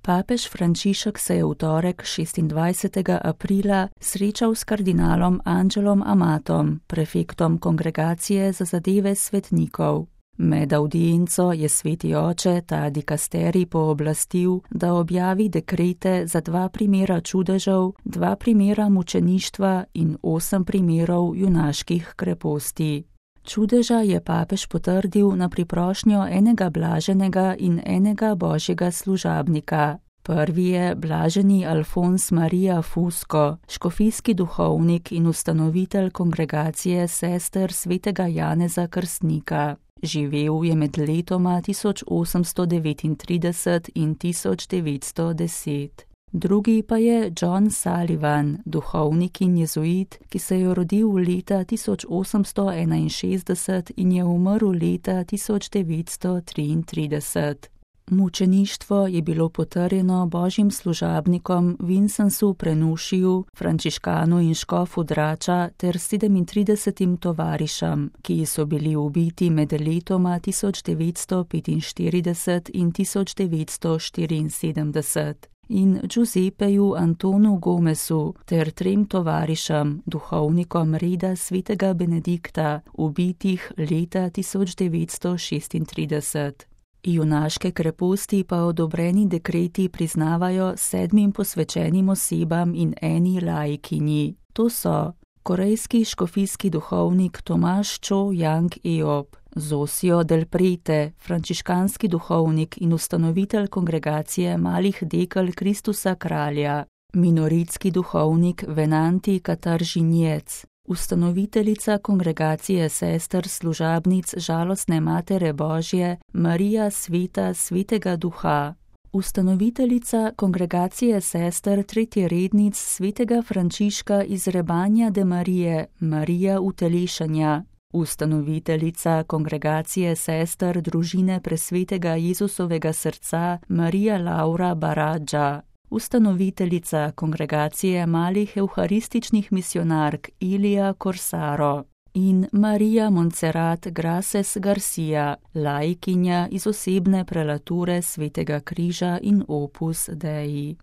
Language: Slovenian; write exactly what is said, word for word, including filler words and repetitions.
Papež Frančišek se je v torek šestindvajsetega aprila srečal s kardinalom Angelom Amatom, prefektom Kongregacije za zadeve svetnikov. Med avdienco je sveti oče ta dikasterij pooblastil, da objavi dekrete za dva primera čudežev, dva primera mučeništva in osem primerov junaških kreposti. Čudeža je papež potrdil na priprošnjo enega blaženega in enega božjega služabnika. Prvi je blaženi Alfons Maria Fusco, škofijski duhovnik in ustanovitelj Kongregacije sester svetega Janeza Krstnika. Živel je med letoma tisoč osemsto devetintrideset in tisoč devetsto deset. Drugi pa je John Sullivan, duhovnik in jezuit, ki se je rodil leta tisoč osemsto enainšestdeset in je umrl leta tisoč devetsto triintrideset. Mučeništvo je bilo potrjeno božjim služabnikom Vincenzu Prenušiju, frančiškanu in škofu Drača ter sedemintridesetim tovarišem, ki so bili ubiti med letoma tisoč devetsto petinštirideset in tisoč devetsto štiriinsedemdeset. In Giuseppeju Antonu Gomesu ter trem tovarišem, duhovnikom reda svetega Benedikta, ubitih leta tisoč devetsto šestintrideset. Junaške kreposti pa odobreni dekreti priznavajo sedmim posvečenim osebam in eni laikinji. To so korejski škofijski duhovnik Tomaš Cho Yang Eop, Zosio del Prete, frančiškanski duhovnik in ustanovitelj Kongregacije malih dekel Kristusa kralja, minoritski duhovnik Venanti Kataržinjec, ustanoviteljica Kongregacije sester služabnic žalostne Matere Božje Marija Sveta Svetega Duha, ustanoviteljica Kongregacije sester tretjerednic svetega Frančiška iz Rebanja de Marije Marija Utelešanja, ustanoviteljica Kongregacije sester družine presvetega Jezusovega srca Marija Laura Baradža, ustanoviteljica Kongregacije malih evharističnih misionark Ilija Corsaro in Marija Montserrat Grases Garcia, laikinja iz osebne prelature Svetega križa in Opus Dei.